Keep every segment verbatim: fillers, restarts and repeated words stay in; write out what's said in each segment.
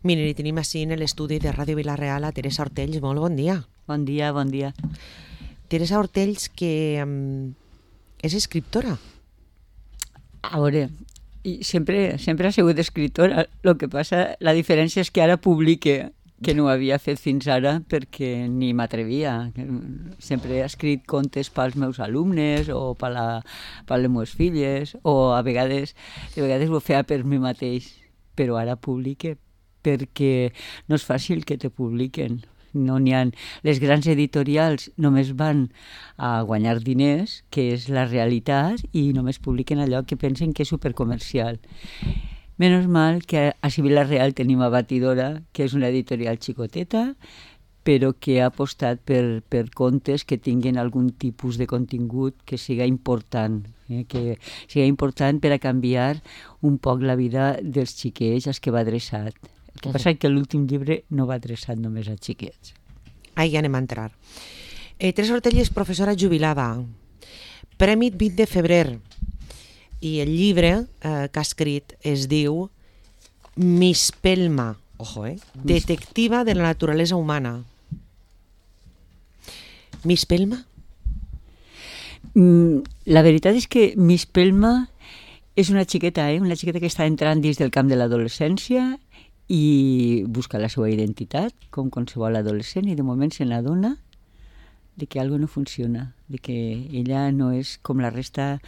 Miren, i tenim així en l'estudi de Ràdio Vila-real a Teresa Ortells. Molt bon dia. Bon dia, bon dia. Teresa Ortells, que um, és escriptora. A veure, sempre, sempre ha sigut escriptora. El que passa, la diferència és que ara publique, que no ho havia fet fins ara perquè ni m'atrevia. Sempre he escrit contes pels meus alumnes o per, la, per les meves filles, o a vegades, a vegades ho feia per mi mateix, però ara publique perquè no és fàcil que te publiquen. No n'hi ha. Les grans editorials només van a guanyar diners, que és la realitat, i només publiquen allò que pensen que és supercomercial. Menos mal que a Sibila Real tenim a Batidora, que és una editorial xicoteta, però que ha apostat per, per contes que tinguin algun tipus de contingut que siga important, eh? que siga important per a canviar un poc la vida dels xiquets als que va adreçat. El que passa és que l'últim llibre no va adreçat només a xiquets. Ahí ja anem a entrar. Eh, Teresa Ortells és professora jubilada, Premi vint de febrer, i el llibre eh, que ha escrit es diu Mispelma, ojo, eh? Detectiva de la naturalesa humana. Mispelma? Mm, la veritat és que Mispelma és una xiqueta, eh? una xiqueta que està entrant dins del camp de l'adolescència i busca la seva identitat, com qualsevol adolescent, i de moment se n'adona de que alguna no funciona, de que ella no és com la resta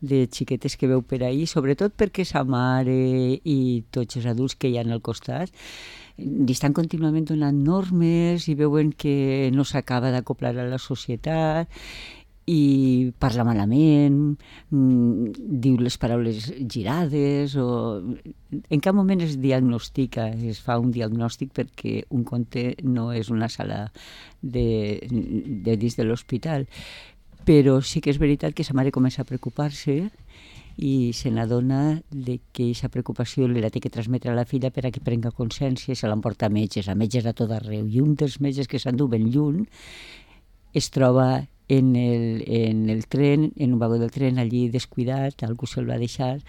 de xiquetes que veu per ahí, sobretot perquè sa mare i tots els adults que hi ha al costat li estan contínuament donant normes i veuen que no s'acaba d'acoplar a la societat i parla malament, diu les paraules girades, o en cap moment es diagnostica, es fa un diagnòstic perquè un conte no és una sala de, de dins de l'hospital. Però sí que és veritat que sa mare comença a preocupar-se i se n'adona de que aquesta preocupació li la té que transmetre a la filla per a que prenga consciència i se l'emporta a metges, a metges a tot arreu. I un dels metges que s'endú ben lluny es troba en el, en el tren, en un vagó del tren, allí descuidat, algú se'l va deixar,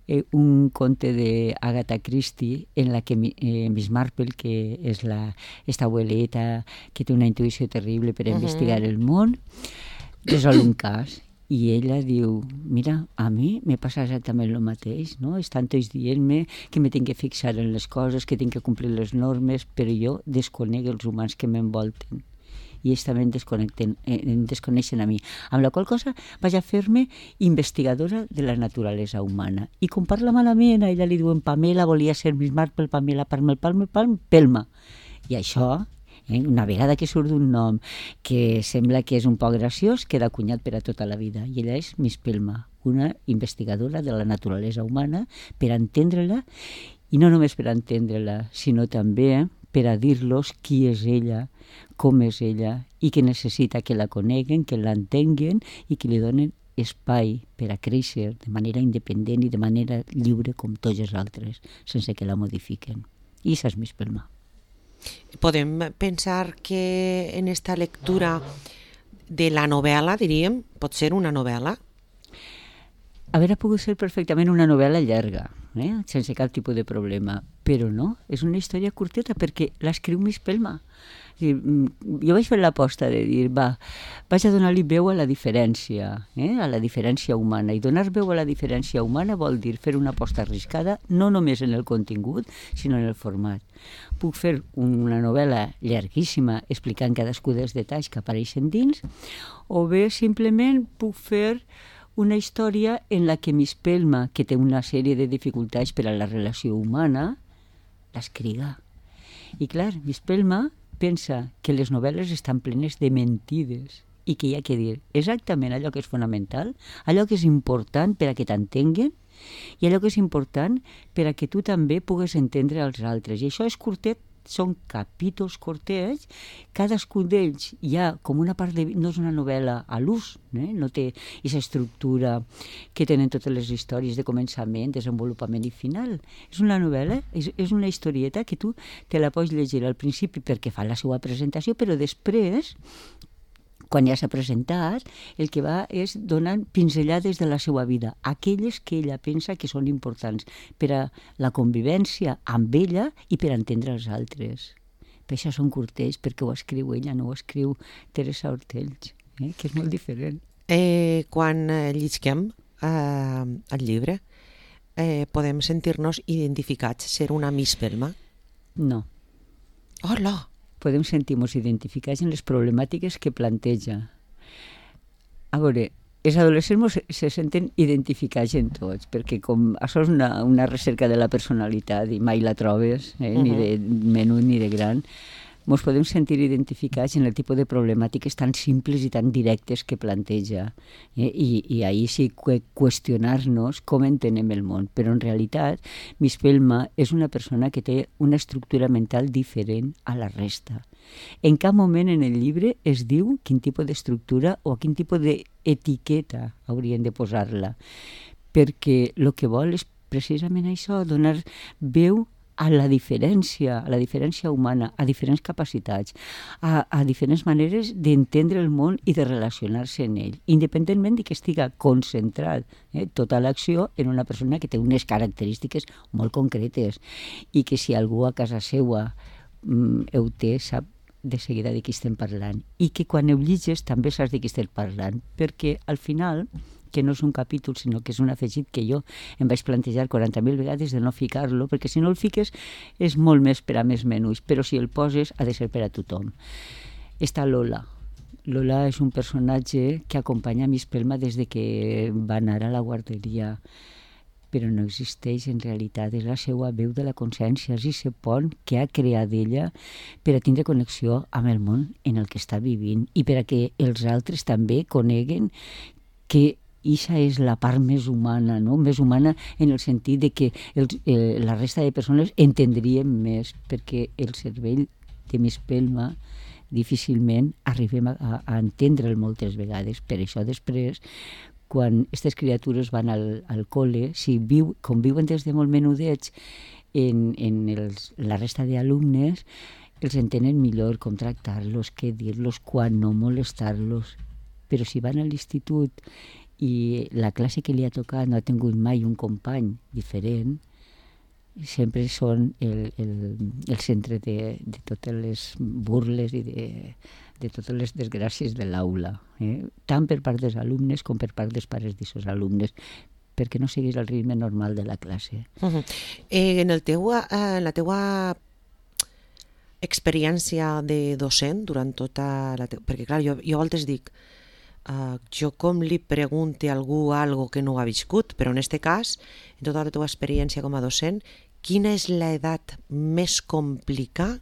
eh, un conte d'Agatha Christie en la que eh, Miss Marple, que és la, esta abueleta que té una intuïció terrible per a uh-huh. investigar el món, resol un cas. I ella diu, mira, a mi me passa exactament el mateix, no? Estan tots dient-me que me tinc que fixar en les coses, que tinc que complir les normes, però jo desconec els humans que m'envolten. I ells també em desconnecten, em desconeixen a mi. Amb la qual cosa vaig a fer-me investigadora de la naturalesa humana. I com parla malament, a ella li diuen Pamela, volia ser Miss Marple, Pamela, Palme, Palme, Palme, Pelma. I això, eh, una vegada que surt un nom que sembla que és un poc graciós, queda acunyat per a tota la vida. I ella és Miss Pelma, una investigadora de la naturalesa humana per a entendre-la, i no només per a entendre-la, sinó també per a dir-los qui és ella, com és ella, i que necessita que la coneguen, que l'entenguen i que li donen espai per a créixer de manera independent i de manera lliure com tots els altres, sense que la modifiquen. I això és Miss Pelma. Podem pensar que en esta lectura de la novel·la, diríem, pot ser una novel·la? Hauria pogut ser perfectament una novel·la llarga, eh? sense cap tipus de problema, però no, és una història curteta perquè l'escriu Miss Pelma. Jo vaig fer l'aposta de dir, va, vaig a donar-li veu a la diferència, eh? a la diferència humana, i donar veu a la diferència humana vol dir fer una aposta arriscada, no només en el contingut, sinó en el format. Puc fer una novel·la llarguíssima explicant cadascú dels detalls que apareixen dins, o bé simplement puc fer una història en la que Miss Pelma, que té una sèrie de dificultats per a la relació humana, l'escriga. I clar, Miss Pelma pensa que les novel·les estan plenes de mentides i que hi ha que dir exactament allò que és fonamental, allò que és important per a que t'entenguen i allò que és important per a que tu també pugues entendre els altres. I això és curtet, són capítols curtets, cadascun d'ells hi ha com una part de... no és una novel·la a l'ús, eh? No té aquesta estructura que tenen totes les històries de començament, desenvolupament i final. És una novel·la, és, és una historieta que tu te la pots llegir al principi perquè fa la seva presentació, però després, quan ja s'ha presentat, el que va és donant pinzellades de la seva vida, aquelles que ella pensa que són importants per a la convivència amb ella i per entendre els altres. Per això són curtells, perquè ho escriu ella, no ho escriu Teresa Ortells, eh? Que és molt diferent. Eh, quan eh, llisquem eh, el llibre, eh, podem sentir-nos identificats, ser una Miss Pelma? No. Hola! Podem sentir-nos identificats en les problemàtiques que planteja. A veure, els adolescents se senten identificats en tots, perquè com això és una, una recerca de la personalitat i mai la trobes, eh? uh-huh. ni de menut ni de gran, ens podem sentir identificats en el tipus de problemàtiques tan simples i tan directes que planteja. Eh? I, I ahir sí que qüestionar-nos com entenem el món. Però en realitat, Miss Pelma és una persona que té una estructura mental diferent a la resta. En cap moment en el llibre es diu quin tipus d'estructura o quin tipus d'etiqueta haurien de posar-la, perquè el que vol és precisament això, donar veu a la diferència, a la diferència humana, a diferents capacitats, a, a diferents maneres d'entendre el món i de relacionar-se en ell, independentment de que estiga concentrat eh, tota l'acció en una persona que té unes característiques molt concretes i que si algú a casa seua mm, ho té, sap de seguida de qui estem parlant, i que quan ho llitges també saps de qui estem parlant, perquè al final, que no és un capítol, sinó que és un afegit que jo em vaig plantejar quaranta mil vegades de no ficar-lo, perquè si no el fiques és molt més per a més menús, però si el poses ha de ser per a tothom. Està Lola. Lola és un personatge que acompanya Miss Pelma des de que va anar a la guarderia, però no existeix en realitat, és la seva veu de la consciència, és aquest pont que ha creat ella per a tindre connexió amb el món en el que està vivint i per a que els altres també coneguen que Ixa és la part més humana, no? Més humana en el sentit de que els, eh, la resta de persones entendríem més, perquè el cervell de Miss Pelma difícilment arribem a, a entendre'l moltes vegades. Per això després, quan aquestes criatures van al, al col·le, si viu, conviuen des de molt menudets en, en els, la resta d'alumnes, els entenen millor com tractar-los, què dir-los, quan no molestar-los. Però si van a l'institut i la classe que li ha tocat no ha tingut mai un company diferent, sempre són el, el, el centre de, de totes les burles i de, de totes les desgràcies de l'aula, eh? Tant per part dels alumnes com per part dels pares d'aquests alumnes, perquè no seguís el ritme normal de la classe. Uh-huh. eh, en, el teu, eh, en la teua experiència de docent durant tota la teua... Perquè, clar, jo, jo a voltes dic Uh, jo com li pregunte a algú algo que no ha viscut, però en aquest cas, en tota la teva experiència com a docent, quina és l'edat més complicada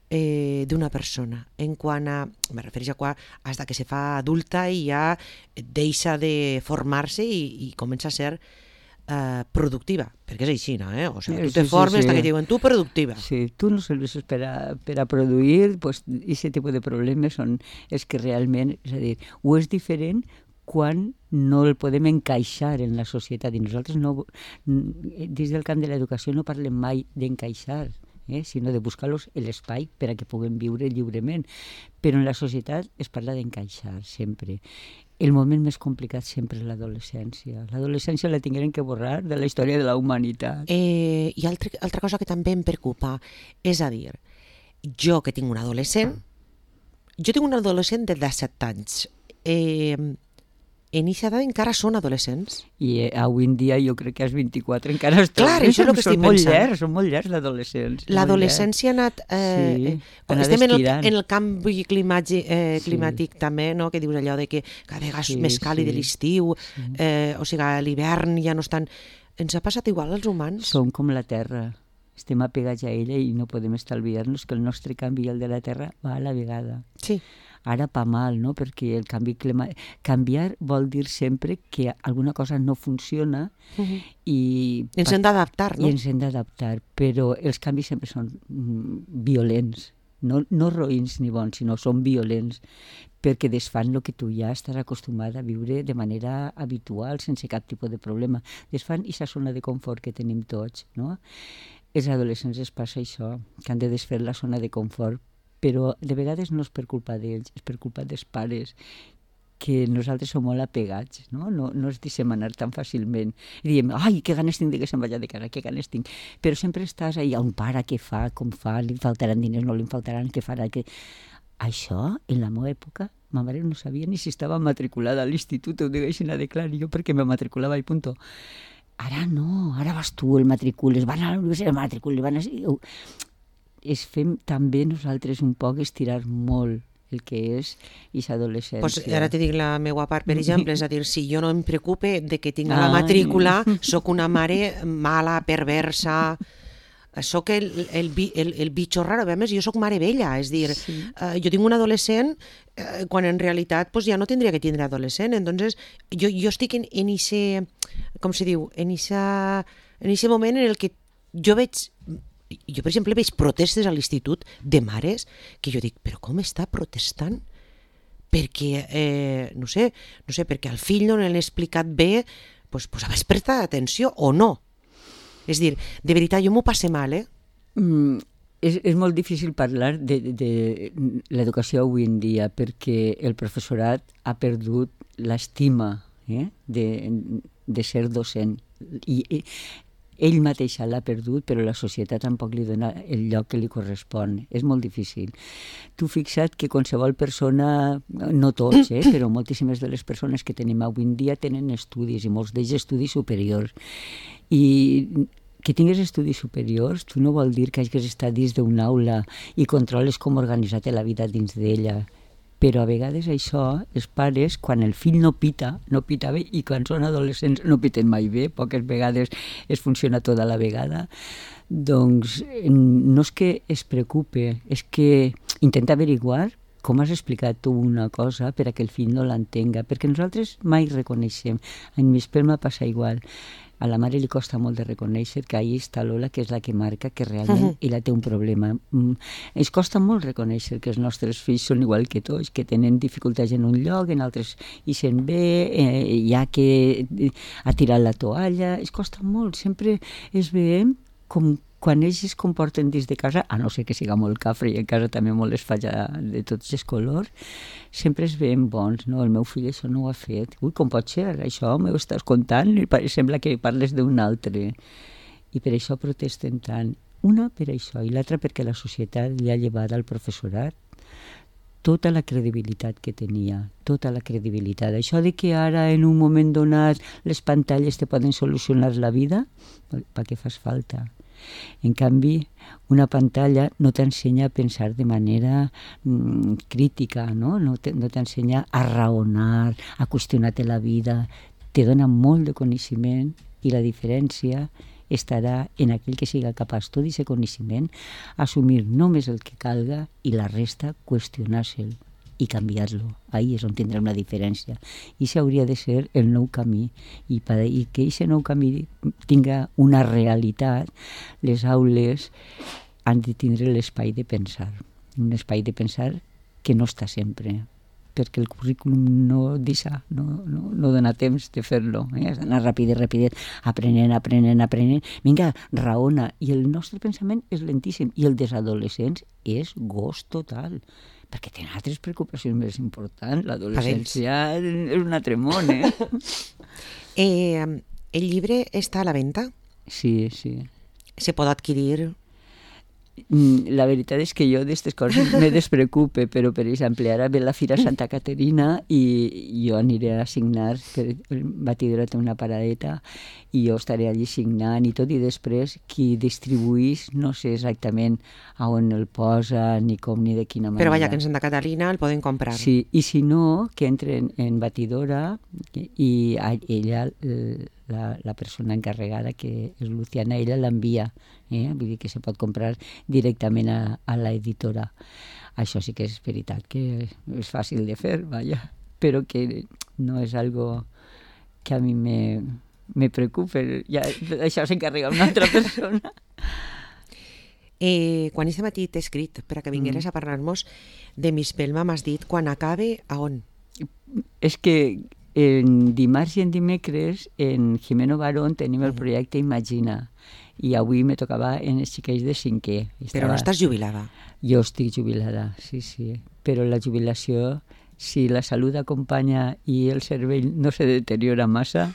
eh, d'una persona? En quant a, me refereixo a quan, hasta que se fa adulta i ja deixa de formar-se i, i comença a ser Uh, productiva, perquè és així, no? Eh? O sigui, tu te sí, formes sí, sí. que et diuen tu productiva. Sí, tu no serveixes per a, per a produir, pues, aquest tipus de problemes són els que realment, és a dir, ho és diferent quan no el podem encaixar en la societat, i nosaltres no, dins del camp de l'educació no parlem mai d'encaixar, eh? sinó de buscar-los l'espai per a que puguem viure lliurement, però en la societat es parla d'encaixar sempre. El moment més complicat sempre és l'adolescència. L'adolescència la tingueren que borrar de la història de la humanitat. Eh, I altra, altra cosa que també em preocupa, és a dir, jo que tinc un adolescent, jo tinc un adolescent de disset anys, eh, en aquesta edat encara són adolescents. I eh, avui en dia jo crec que als vint-i-quatre encara es Clar, això és el que estic molt pensant. Llargs, són molt llargs l'adolescents. L'adolescència ha anat... Eh, sí, eh, estem en el, en el canvi climàtic, eh, climàtic sí. també, no? Que dius allò de que cada vegada és sí, més càlid sí. l'estiu, sí. eh, o sigui, a l'hivern ja no estan... Ens ha passat igual als humans? Som com la Terra. Estem apegats a ella i no podem estalviar-nos que el nostre canvi i el de la Terra va a la vegada. Sí. Ara pa mal, no? Perquè el canvi climàtic... Canviar vol dir sempre que alguna cosa no funciona uh-huh. i... Ens hem d'adaptar, no? I ens hem d'adaptar, però els canvis sempre són mm, violents. No, no roïns ni bons, sinó són violents, perquè desfan el que tu ja estàs acostumat a viure de manera habitual, sense cap tipus de problema. Desfan aquesta zona de confort que tenim tots, no? Els adolescents es passa això, que han de desfer la zona de confort però de vegades no és per culpa d'ells, és per culpa dels pares, que nosaltres som molt apegats, no? No, no ens deixem anar tan fàcilment. I diem, ai, que ganes tinc de que se'n vagi de casa, que ganes tinc. Però sempre estàs ahí, un pare, què fa, com fa, li faltaran diners, no li faltaran, què farà, què... Això, en la meva època, ma mare no sabia ni si estava matriculada a l'institut, ho deixin a declarar, jo perquè me matriculava i punto. Ara no, ara vas tu, el matricules, van a la universitat, el matricules, van a... Es fem també nosaltres un poc estirar molt el que és aquesta adolescència. Pues ara te dic la meva part, per exemple, és a dir, si jo no em preocupe de que tinc Ah. la matrícula, sóc una mare mala, perversa, sóc el, el, bi- el, el bitxo raro. A més, jo sóc mare vella, és dir, Sí. eh, jo tinc un adolescent eh, quan en realitat pues, ja no tindria que tindre adolescent. Entonces, jo, jo estic en, en ese, com se diu, en ese, en ese moment en el que jo veig, jo per exemple veig protestes a l'institut de mares que jo dic, però com està protestant? Perquè, eh, no sé, no sé, perquè al fill no l'han explicat bé, pues, pues haver prestat atenció o no. És dir, de veritat, jo m'ho passe mal, eh? Mm, és, és molt difícil parlar de, de, de l'educació avui en dia perquè el professorat ha perdut l'estima eh, de, de ser docent. I, i ell mateix l'ha perdut, però la societat tampoc li dona el lloc que li correspon. És molt difícil. Tu fixa't que qualsevol persona, no tots, eh, però moltíssimes de les persones que tenim avui en dia tenen estudis, i molts d'ells estudis superiors. I que tingues estudis superiors, tu no vol dir que hagis estat dins d'una aula i controles com organitzar-te la vida dins d'ella. Però a vegades això, els pares, quan el fill no pita, no pita bé, i quan són adolescents no piten mai bé, poques vegades es funciona tota la vegada, doncs no és que es preocupe, és que intenta averiguar com has explicat tu una cosa per a que el fill no l'entenga, perquè nosaltres mai reconeixem. En mi espelma passa igual. A la mare li costa molt de reconèixer que ahí està Lola, que és la que marca que realment ella té un problema. Mm, ens costa molt reconèixer que els nostres fills són igual que tots, que tenen dificultats en un lloc, en altres hi sent bé, eh, hi ha que ha tirat la toalla. Es costa molt, sempre es veiem com quan ells es comporten dins de casa, a no ser que siga molt cafre i en casa també molt es falla de tots els colors, sempre es veiem bons, no? El meu fill això no ho ha fet. Ui, com pot ser? Això m'ho estàs contant i sembla que parles d'un altre. I per això protesten tant. Una per això i l'altra perquè la societat li ha llevat al professorat tota la credibilitat que tenia, tota la credibilitat. Això de que ara en un moment donat les pantalles te poden solucionar la vida, per què fas falta? En canvi, una pantalla no t'ensenya a pensar de manera mm, crítica, no? No t'ensenya a raonar, a qüestionar-te la vida. Te dona molt de coneixement i la diferència estarà en aquell que siga capaç tot aquest coneixement, assumir només el que calga i la resta qüestionar-se'l i canviar-lo. Ahí és on tindrem la diferència. I això hauria de ser el nou camí. I, per, i que aquest nou camí tinga una realitat, les aules han de tindre l'espai de pensar. Un espai de pensar que no està sempre, perquè el currículum no deixa, no, no, no dona temps de fer-lo. Eh? Has d'anar ràpid, ràpid, aprenent, aprenent, aprenent. Vinga, raona. I el nostre pensament és lentíssim. I el dels adolescents és gos total, perquè tenen altres preocupacions més importants. L'adolescència és un altre món, eh? eh? El llibre està a la venda? Sí, sí. Se pot adquirir? La veritat és que jo d'aquestes coses me despreocupe, però per exemple ara ve la Fira Santa Caterina i jo aniré a signar, per Batidora té una paradeta i jo estaré allí signant i tot, i després qui distribuís no sé exactament a on el posa ni com ni de quina manera. Però vaja, que en Santa Caterina el poden comprar. Sí, i si no, que entren en Batidora i ella, la, la persona encarregada, que és Luciana, ella l'envia, eh? Vull dir que se pot comprar directament a, a l'editora. Això sí que és veritat, que és fàcil de fer, vaja, però que no és algo que a mi me, me preocupa. Ja, això s'encarrega una altra persona. Eh, quan aquest matí t'he escrit per a que vingueres mm. a parlar-nos de Mispelma, m'has dit quan acabe, a on? És que en dimarts i en dimecres en Jimeno Barón tenim el projecte Imagina i avui me tocava en els xiquets de cinquè. Estava... Però no estàs jubilada? Jo estic jubilada, sí, sí. Però la jubilació, si la salut acompanya i el cervell no se deteriora massa,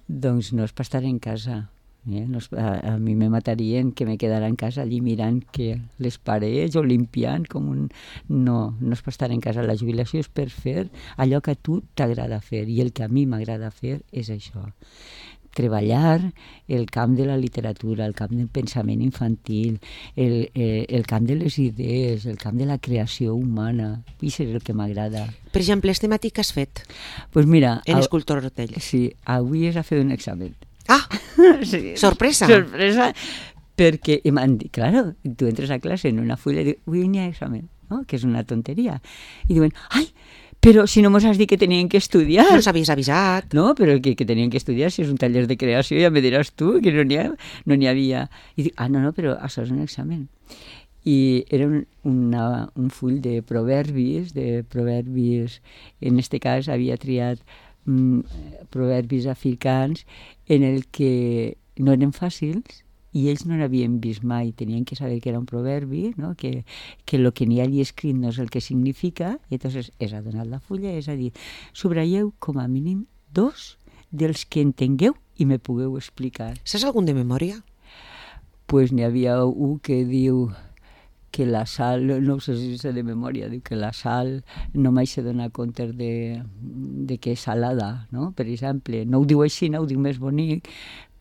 doncs no és per estar en casa. Eh? No és, a, a mi me matarien que me quedara en casa allí mirant que les parets o limpiant com un... No, no és per estar en casa. La jubilació és per fer allò que a tu t'agrada fer, i el que a mi m'agrada fer és això. Treballar el camp de la literatura, el camp del pensament infantil, el, el, el camp de les idees, el camp de la creació humana. Això és el que m'agrada. Per exemple, este matí què has fet? Pues mira, en a... Escultor Hortell. Sí, avui es ha fet un examen. Ah, sí. Sorpresa. Sorpresa, perquè m'han dit, claro, tu entres a classe en una fulla i dius, avui n'hi ha examen, no? Que és una tonteria. I diuen, ai, però si no mos has dit que tenien que estudiar. No s'havies avisat. No, però que, que tenien que estudiar, si és un taller de creació, ja me diràs tu, que no n'hi ha, no n'hi havia. I dic, ah, no, no, però això és un examen. I era un, una, un full de proverbis, de proverbis, en este cas havia triat mm, proverbis africans en el que no eren fàcils, i ells no n'havien vist mai, tenien que saber que era un proverbi, no? que, que el que n'hi ha allí escrit no és el que significa, i llavors és a donar la fulla, és a dir, subratlleu com a mínim dos dels que entengueu i me pugueu explicar. Saps algun de memòria? Pues n'hi havia un que diu que la sal, no sé si és de memòria, diu que la sal no mai se dona compte de, de que és salada, no? Per exemple, no ho diu així, no ho diu més bonic,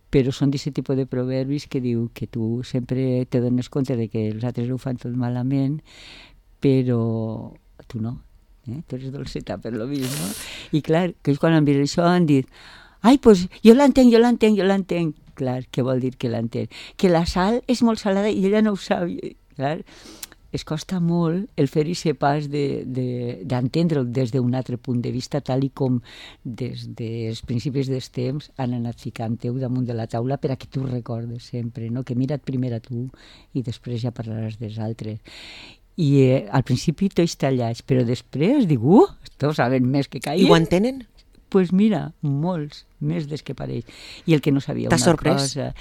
però són d'aquest tipus de proverbis que diu que tu sempre te dones compte de que els altres ho fan tot malament, però tu no, eh? Tu eres dolceta per lo vist, no? I clar, que ells quan han vist això han dit, ai, doncs jo l'entenc, jo l'entenc, jo l'entenc. Clar, què vol dir que l'entenc? Que la sal és molt salada i ella no ho sap. Clar, es costa molt el fer aquest pas d'entendre'l de, de, des d'un altre punt de vista, tal i com des dels principis dels temps han anat ficant-ho damunt de la taula per a que tu recordes sempre, no? Que mira't primer a tu i després ja parlaràs dels altres. I eh, al principi tots tallats, però després dic, uh, estos saben més que caia. I ho entenen? Doncs pues mira, molts, més des que pareix. I el que no sabia una sorprès? cosa...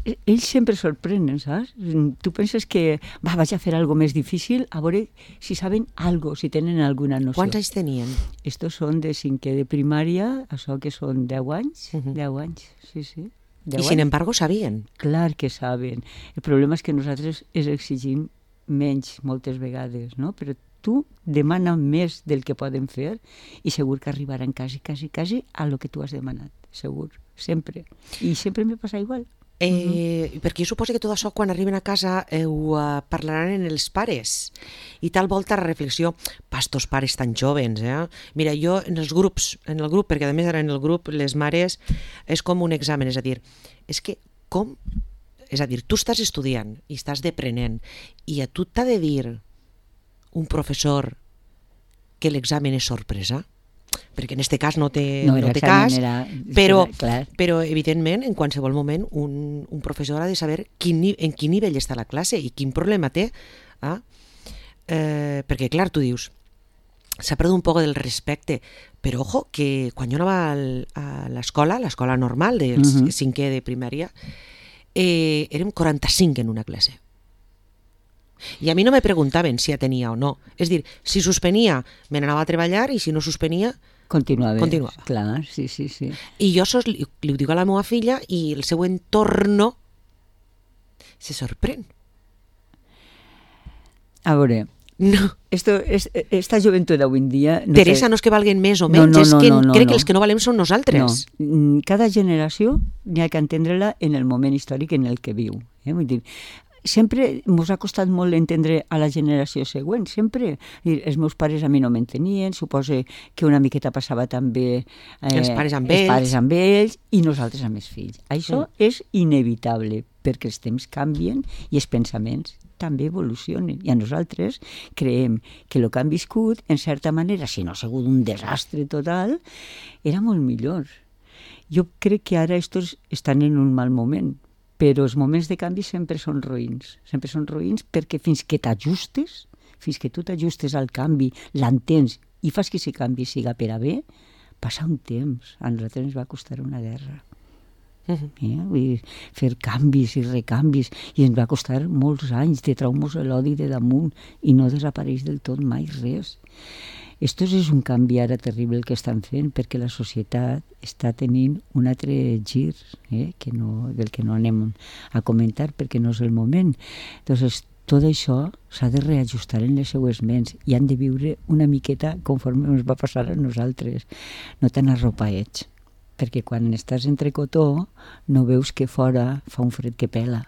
Ells sempre sorprenen, saps? Tu penses que va, vaig a fer alguna més difícil, a veure si saben algo, si tenen alguna noció. Quants anys tenien? Estos són de cinquè de primària, això que són deu anys, uh -huh. deu anys, sí, sí. I sin embargo sabien? Clar que saben. El problema és que nosaltres els exigim menys moltes vegades, no? Però tu demana més del que poden fer i segur que arribaran quasi, quasi, quasi a lo que tu has demanat, segur, sempre. I sempre me passa igual. Eh, uh-huh. Perquè jo suposo que tot això quan arriben a casa eh, ho uh, parlaran en els pares i tal volta la reflexió, pastos pares tan jovens, eh? Mira, jo en els grups, en el grup, perquè a més ara en el grup les mares és com un examen, és a dir, és que com, és a dir, tu estàs estudiant i estàs deprenent i a tu t'ha de dir un professor que l'examen és sorpresa, perquè en aquest cas no té, no, no té cas, era, però, però evidentment en qualsevol moment un, un professor ha de saber quin, en quin nivell està la classe i quin problema té, ah? eh, perquè clar, tu dius, s'ha perdut un poc del respecte, però ojo, que quan jo anava al, a l'escola, l'escola normal del uh-huh. cinquè de primària, eh, érem quaranta-cinc en una classe. I a mi no me preguntaven si ja tenia o no. És dir, si suspenia, me n'anava a treballar i si no suspenia, continuava. continuava. Clar, sí, sí, sí. I jo sos, li, li ho dic a la meva filla i el seu entorno se sorprèn. A veure, no. Esto, es, esta joventut d'avui en dia... No Teresa, sé... no és que valguen més o menys, no, no, és que no, no, crec no. que els que no valem són nosaltres. No. Cada generació n'hi ha que entendre-la en el moment històric en el que viu. Eh? Vull dir, sempre ens ha costat molt entendre a la generació següent, sempre. Els meus pares a mi no m'entenien, suposo que una miqueta passava també eh, els pares amb els ells. pares amb ells i nosaltres amb els fills. Això mm. és inevitable, perquè els temps canvien i els pensaments també evolucionen. I a nosaltres creiem que el que han viscut, en certa manera, si no ha sigut un desastre total, era molt millor. Jo crec que ara estos estan en un mal moment, però els moments de canvi sempre són roïns. Sempre són roïns perquè fins que t'ajustes, fins que tu t'ajustes al canvi, l'entens i fas que aquest canvi siga per a bé, passa un temps. A nosaltres ens va costar una guerra. Uh -huh. eh? Vull dir, fer canvis i recanvis, i ens va costar molts anys de traumas l'odi de damunt i no desapareix del tot mai res. Esto és un canvi ara terrible que estan fent, perquè la societat està tenint un altre gir, eh? que no, del que no anem a comentar perquè no és el moment. Entonces, tot això s'ha de reajustar en les seues ments i han de viure una miqueta conforme ens va passar a nosaltres, no tan arropaets, perquè quan estàs entre cotó no veus que fora fa un fred que pela.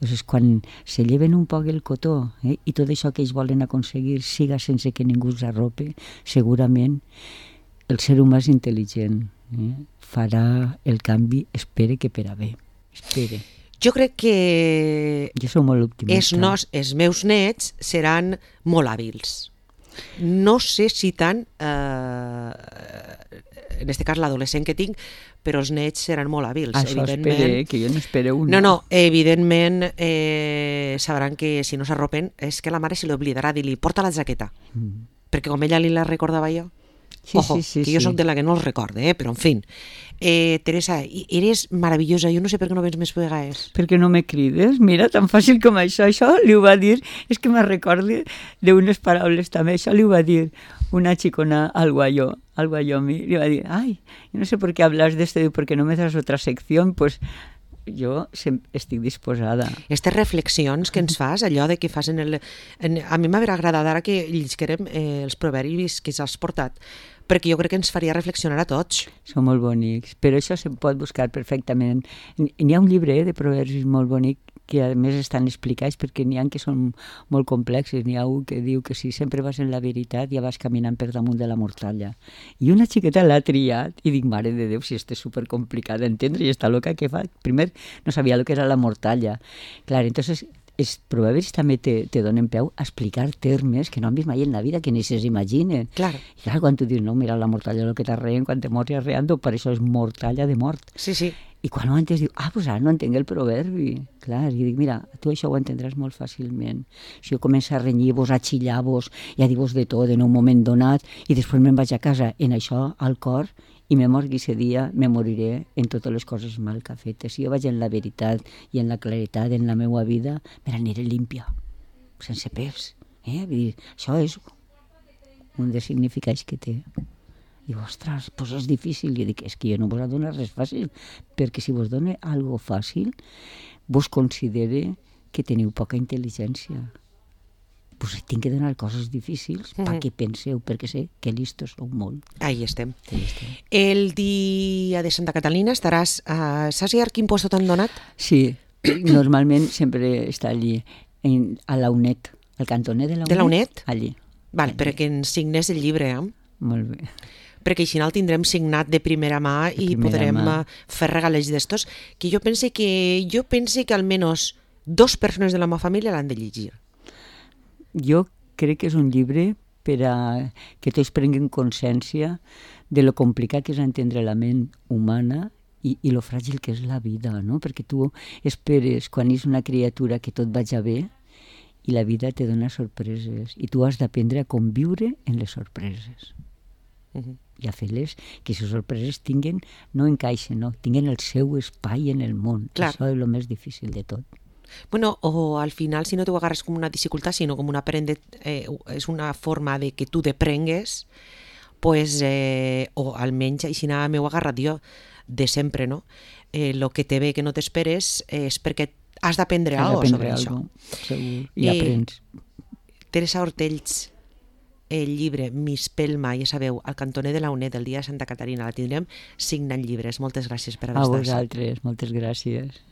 Entonces, quan se lleven un poc el cotó eh, i tot això que ells volen aconseguir siga sense que ningú s'arrope, segurament el ser humà és intel·ligent, eh, farà el canvi, espere que per a bé, espere. Jo crec que jo soc molt optimista. Els, nos, els meus nets seran molt hàbils. No sé si tant, eh, en aquest cas l'adolescent que tinc, però els nets seran molt hàbils. Això espere, que jo no espero una. No, no, evidentment eh, sabran que si no s'arropen és que la mare se li oblidarà dir-li porta la jaqueta, mm. perquè com ella li la recordava jo, sí, ojo, sí, sí, que jo sí. soc de la que no els recorde, eh, però en fin. Eh, Teresa, eres meravellosa, jo no sé per què no vens més vegades. Per què no me crides? Mira, tan fàcil com això. Això li ho va dir, és que me recordo d'unes paraules també, això li ho va dir una xicona al Guayó, al Guayomi, li va dir, ay, yo no sé por qué hablas de esto, porque no me das otra sección, pues jo estic disposada. Aquestes reflexions que ens fas, allò de que fas en el... En, a mi m'haurà agradat ara que llisquerem eh, els proverbis que has portat, perquè jo crec que ens faria reflexionar a tots. Són molt bonics, però això se pot buscar perfectament. N'hi ha un llibre de proverbis molt bonic que a més estan explicats perquè n'hi ha que són molt complexes. N'hi ha un que diu que si sempre vas en la veritat ja vas caminant per damunt de la mortalla. I una xiqueta l'ha triat i dic, mare de Déu, si este és supercomplicat d'entendre i està loca que fa. Primer no sabia el que era la mortalla. Clar, entonces els proverbis també te, te donen peu a explicar termes que no han vist mai en la vida, que ni se'ls imaginen. Claro. I clar, quan tu dius, no, mira, la mortalla és el que t'arreen, quan te mors i arreando, per això és mortalla de mort. Sí, sí. I quan ho entens, diu, ah, doncs ara no entenc el proverbi. Clar, i dic, mira, tu això ho entendràs molt fàcilment. Si jo començo a renyir-vos, a xillar-vos i a dir-vos de tot en un moment donat i després me'n vaig a casa en això al cor i me morgui ese dia, me moriré en totes les coses mal que ha fet. Si jo vaig en la veritat i en la claretat en la meva vida, me n'aniré límpia, sense pes. Eh? Vull dir, això és un dels significats que té. Diu, ostres, doncs és difícil. I dic, és que jo no vos ha donat res fàcil, perquè si vos dona algo fàcil, vos considere que teniu poca intel·ligència. Pues tinc que donar coses difícils mm -hmm. perquè penseu, perquè sé que listos sou molt. Ahí estem. Ahí estem. El dia de Santa Catalina estaràs... Uh, saps ja quin puesto t'han donat? Sí, normalment sempre està allí, en, a la UNED, al cantoner de la UNED. De la UNED? Allí. Val, allí. perquè ens signes el llibre, eh? Molt bé. Perquè així el tindrem signat de primera mà de i primera podrem mà. fer regalets d'estos, que jo pense que jo pense que almenys dos persones de la meva família l'han de llegir. Jo crec que és un llibre per a que tots prenguin consciència de lo complicat que és entendre la ment humana i, i lo fràgil que és la vida, no? Perquè tu esperes quan és una criatura que tot vaja bé i la vida te dona sorpreses i tu has d'aprendre a conviure en les sorpreses. Uh-huh. I a fer-les que les sorpreses tinguen, no encaixen, no, tinguen el seu espai en el món. Clar. Això és el més difícil de tot. Bueno, o al final, si no t'ho agarres com una dificultat, sinó com una aprende, eh, és una forma de que tu t'aprengues, pues, eh, o almenys així m'ho he agarrat jo de sempre, no? Eh, lo que te ve que no t'esperes eh, és perquè has d'aprendre alguna cosa sobre això. Segur, i eh, aprens. Teresa Hortells, el llibre Mispelma, ja sabeu, al cantoner de la UNED del dia de Santa Caterina, la tindrem signant llibres. Moltes gràcies per haver estat. A vosaltres, moltes gràcies.